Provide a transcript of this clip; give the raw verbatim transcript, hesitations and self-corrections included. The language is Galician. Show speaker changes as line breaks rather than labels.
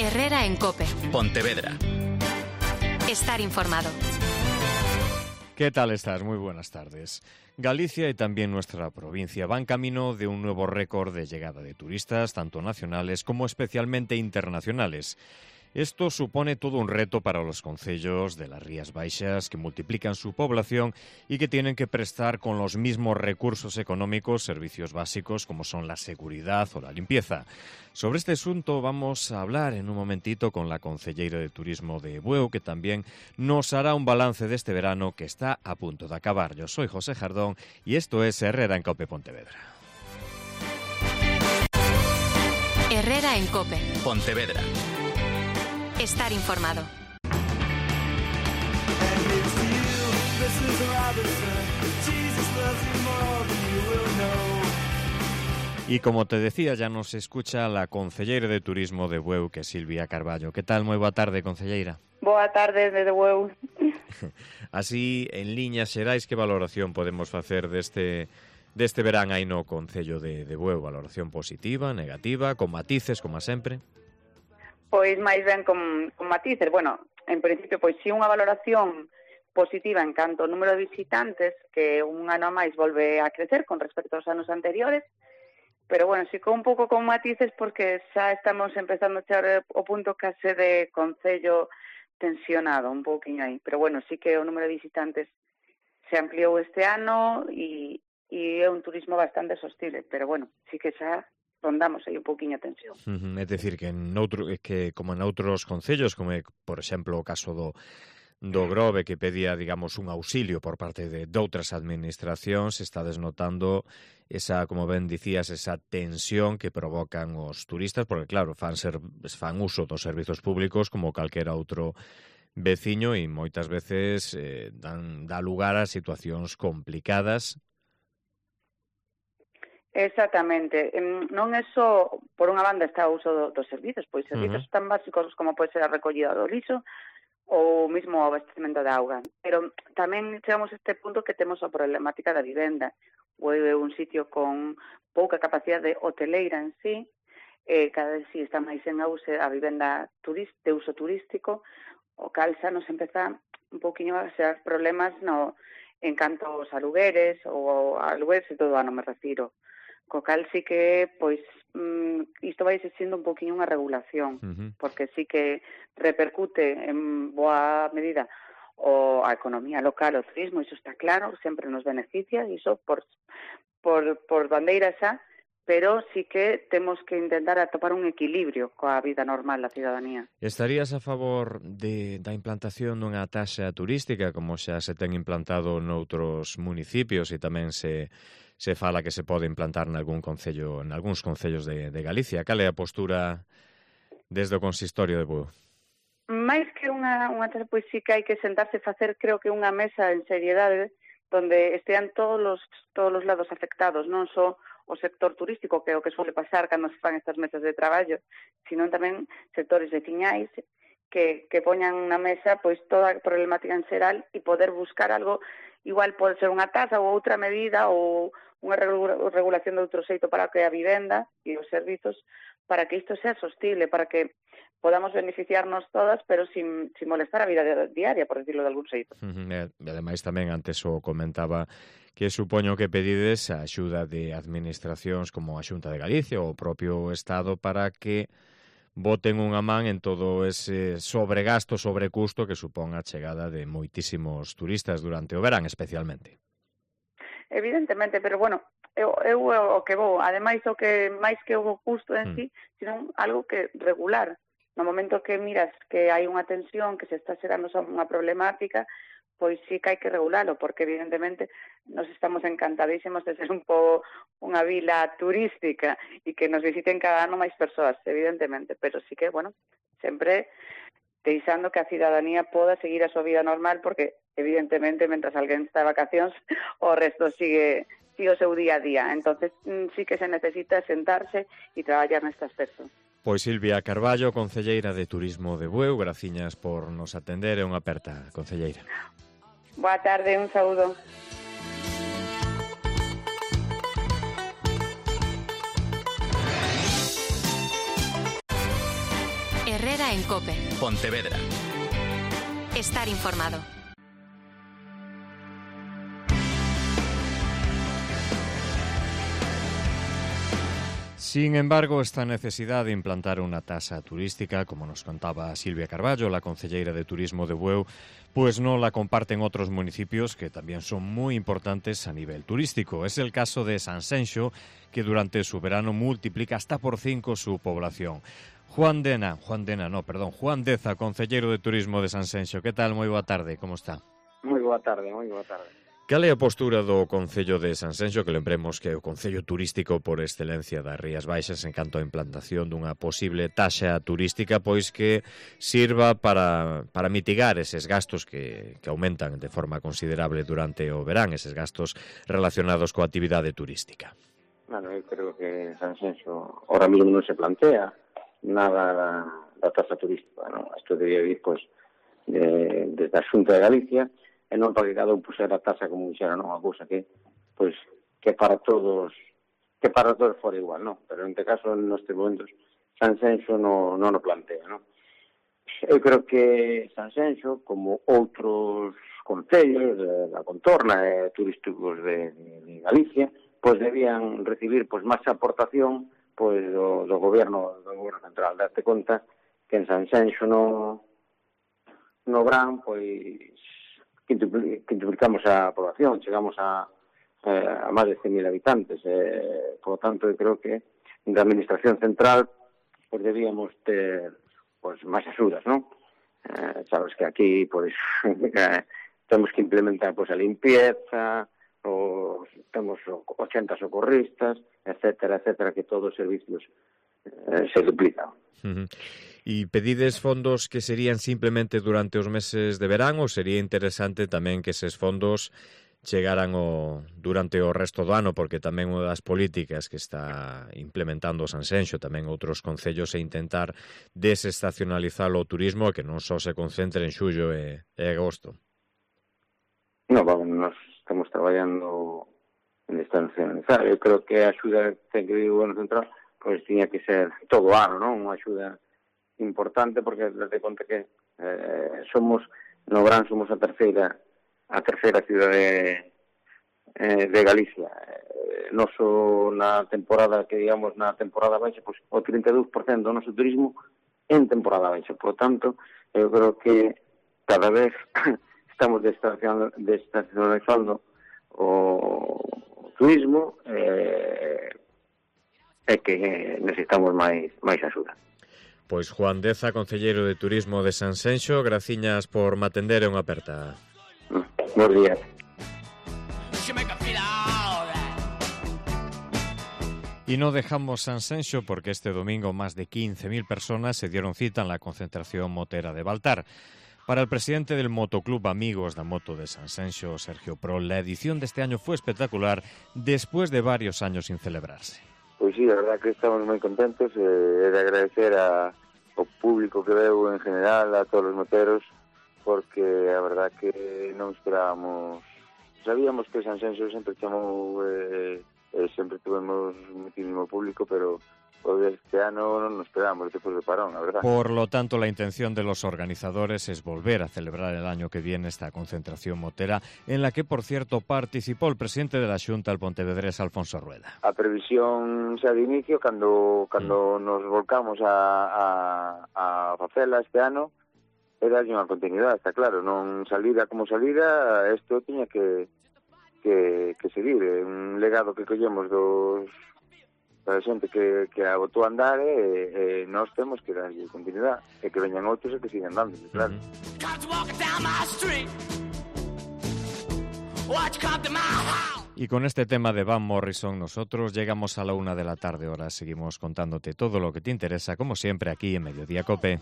Herrera en COPE.
Pontevedra.
Estar informado.
¿Qué tal estás? Muy buenas tardes. Galicia y también nuestra provincia van camino de un nuevo récord de llegada de turistas, tanto nacionales como especialmente internacionales. Esto supone todo un reto para los concellos de las Rías Baixas, que multiplican su población y que tienen que prestar con los mismos recursos económicos servicios básicos como son la seguridad o la limpieza. Sobre este asunto vamos a hablar en un momentito con la concelleira de Turismo de Bueu, que también nos hará un balance de este verano que está a punto de acabar. Yo soy José Jardón y esto es Herrera en COPE Pontevedra.
Herrera en COPE.
Pontevedra.
Estar informado.
Y como te decía, ya nos escucha la concelleira de Turismo de Bueu, que é Silvia Carballo. Que tal? Moi boa tarde, concelleira.
Boa tarde desde Bueu.
Así, en liñas xerais, que valoración podemos facer deste deste verán aí no concello de, de Bueu? Valoración positiva, negativa, con matices, como sempre?
Pois máis ben con, con matices. Bueno, en principio, pois si unha valoración positiva en canto ao número de visitantes, que un ano máis volve a crecer con respecto aos anos anteriores, pero bueno, si con un pouco con matices porque xa estamos empezando a chegar o punto case de concello tensionado, un pouquinho aí. Pero bueno, sí que o número de visitantes se ampliou este ano e, e é un turismo bastante sostible, pero bueno, sí que xa rondamos aí un pouquiño a tensión.
Uh-huh. É dicir, que, en outro, que como en outros concellos, como é, por exemplo, o caso do, do Grove, que pedía, digamos, un auxilio por parte de, de outras administracións, está desnotando esa, como ben dicías, esa tensión que provocan os turistas, porque, claro, fan, ser, fan uso dos servizos públicos como calquera outro veciño e moitas veces eh, dan, dá lugar a situacións complicadas.
Exactamente. Non é só, por unha banda, está o uso do, dos servizos, pois servizos uh-huh. tan básicos como pode ser a recollida do lixo ou mesmo o abastecemento de auga. Pero tamén chegamos a este punto que temos a problemática da vivenda. O é un sitio con pouca capacidade hoteleira en sí, eh, cada vez si está máis en auxe a vivenda turist, de uso turístico, o cal xa nos empeza un poquinho a ser problemas no, en canto aos alugueres ou alugueres e todo ano me refiro. Co cal sí que, pois, mm, isto vai sendo un poquinho unha regulación, uh-huh. porque sí que repercute en boa medida o a economía local, o turismo, iso está claro, sempre nos beneficia, iso por, por, por bandeira xa, pero sí que temos que intentar atopar un equilibrio coa vida normal da cidadanía.
Estarías a favor de, da implantación dunha taxa turística, como xa se ten implantado noutros municipios e tamén se... se fala que se pode implantar nalgún concello, en algúns concellos de, de Galicia? Cal é a postura desde o consistorio de Bueu?
Mais que unha, unha pois sí que hai que sentarse e facer, creo que unha mesa en seriedade donde estean todos os, todos os lados afectados, non só o sector turístico, que é o que suele pasar cando se fan estas mesas de traballo, sino tamén sectores veciñais que, que poñan na mesa pois toda a problemática en xeral e poder buscar algo, igual pode ser unha tasa ou outra medida ou unha regulación de outro xeito para que a vivenda e os servizos, para que isto sea sostible, para que podamos beneficiarnos todas, pero sin, sin molestar a vida diaria, por decirlo de algún xeito.
Uh-huh. E ademais tamén antes o comentaba que supoño que pedides a axuda de administracións como a Xunta de Galicia ou o propio Estado para que boten unha man en todo ese sobregasto, sobrecusto que supón a chegada de moitísimos turistas durante o verán especialmente.
Evidentemente, pero bueno, eu, eu o que vou, ademais o que máis que o custo en mm. sí, sino algo que regular. No momento que miras que hai unha tensión, que se está xerando unha problemática, pois sí que hai que regularlo, porque evidentemente nos estamos encantadísimos de ser un pouco unha vila turística e que nos visiten cada ano máis persoas, evidentemente, pero sí que, bueno, sempre deixando que a cidadanía poda seguir a súa vida normal, porque evidentemente, mentras alguén está de vacacións, o resto sigue, sigue o seu día a día. Entonces, sí que se necesita sentarse e traballar neste aspecto.
Pois Silvia Carballo, concelleira de Turismo de Bueu, graciñas por nos atender e unha aperta, concelleira.
Boa tarde, un saúdo.
Herrera en COPE.
Pontevedra.
Estar informado.
Sin embargo, esta necesidad de implantar una tasa turística, como nos contaba Silvia Carballo, la concelleira de Turismo de Bueu, pues no la comparten otros municipios que también son muy importantes a nivel turístico. Es el caso de Sanxenxo, que durante su verano multiplica hasta por cinco su población. Juan Dena, Juan Dena, no, perdón, Juan Deza, concelleiro de Turismo de Sanxenxo. Que tal? Moi boa tarde, como está?
Moi boa tarde, moi boa tarde.
Cal é a postura do Concello de Sanxenxo, que lembremos que é o Concello turístico por excelencia das Rías Baixas en canto a implantación dunha posible taxa turística, pois que sirva para, para mitigar eses gastos que, que aumentan de forma considerable durante o verán, eses gastos relacionados coa actividade turística?
Bueno, eu creo que Sanxenxo ahora mesmo non se plantea nada da, da taxa turística, non? Isto debía vir, pois, de, desde a Xunta de Galicia, e non para que cada un pusera a taxa como dixera, non, a cousa que, pois, que para todos, que para todos fora igual, non? Pero en este caso, nestes momentos, Sanxenxo non, non o plantea, non? Eu creo que Sanxenxo, como outros concellos de la contorna e turísticos de, de Galicia, pois debían recibir pois máis aportación pois do, do goberno do goberno central. Date conta que en Sanxenxo no no Brán, pois quintuplicamos a población, chegamos a, a máis de cen mil habitantes. Eh, por lo tanto, eu creo que da Administración Central pues, debíamos ter pues, máis axudas, non? Eh, sabes que aquí pues, temos que implementar pues, a limpieza, os, temos ochenta socorristas, etcétera, etcétera, que todos os servicios eh, se duplican.
Uh-huh. E pedides fondos que serían simplemente durante os meses de verán ou sería interesante tamén que eses fondos chegaran o, durante o resto do ano, porque tamén unha das políticas que está implementando Sanxenxo, tamén outros concellos, é intentar desestacionalizar o turismo e que non só se concentre en xullo e, e agosto.
No, vamos, nós estamos traballando en desestacionalizar. Eu creo que a axuda que ten que vir o goberno central pois tiña que ser todo o ano, non? Unha axuda importante porque desde conta que eh, somos no Brán somos a terceira a terceira cidade eh, de Galicia. Eh, noso na temporada que digamos na temporada baixa, pois o trinta e dous por cento do noso turismo en temporada baixa. Por tanto, eu creo que cada vez estamos desestacionalizando o turismo eh, e que necesitamos máis máis axuda.
Pois Juan Deza, concelleiro de Turismo de Sanxenxo, graciñas por me atender e unha aperta.
Bos días.
Y no dejamos Sanxenxo porque este domingo más de quince mil personas se dieron cita en la concentración motera de Baltar. Para el presidente del Motoclub Amigos da Moto de Sanxenxo, Sergio Prol, la edición de este año fue espectacular después de varios años sin celebrarse.
Pois sí, a verdad que estamos moi contentos e eh, de agradecer a, ao público que veu en general, a todos os moteros, porque a verdad que non esperábamos, sabíamos que Sanxenxo sempre chamou, eh, eh, sempre tuvemos muchísimo público, pero este ano non nos esperábamos despois do parón, a verdad.
Por lo tanto, la intención de los organizadores es volver a celebrar el año que viene esta concentración motera, en la que, por cierto, participó el presidente de la Xunta, el pontevedrés Alfonso Rueda.
A previsión xa de inicio, cando, cando mm. nos volcamos a, a, a facela este ano, era unha continuidade, está claro, non salida como salida, isto tiña que, que, que seguir, un legado que collemos dos a xente que, que a botou a andar e, e nós temos que darlle continuidade e que veñan outros e que sigan dando, claro.
Y con este tema de Van Morrison nosotros llegamos a la una de la tarde. Ahora seguimos contándote todo lo que te interesa, como siempre, aquí en Mediodía COPE.